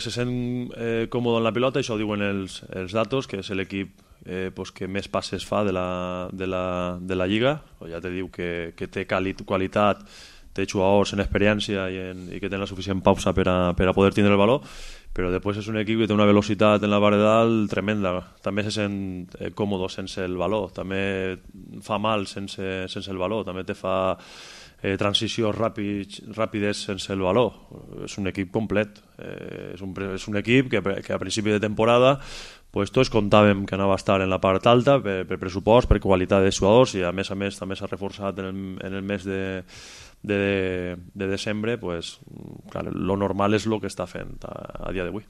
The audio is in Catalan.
Se sent còmode en la pilota, això ho diuen els datos, que és l'equip que més passes fa de la Lliga. Ja te diu que té qualitat, té jugadors en experiència i que tenen la suficient pausa per a poder tindre el valor, però després és un equip que té una velocitat en la part de dalt tremenda. També se sent còmode sense el valor, també fa mal sense el valor, també te fa transicions ràpides sense el valor. És un equip complet, és un equip que a principi de temporada tots comptàvem que anava a estar en la part alta per pressupost, per qualitat de jugadors, i a més també s'ha reforçat en el mes de desembre. Clar, lo normal és el que està fent a dia d'avui.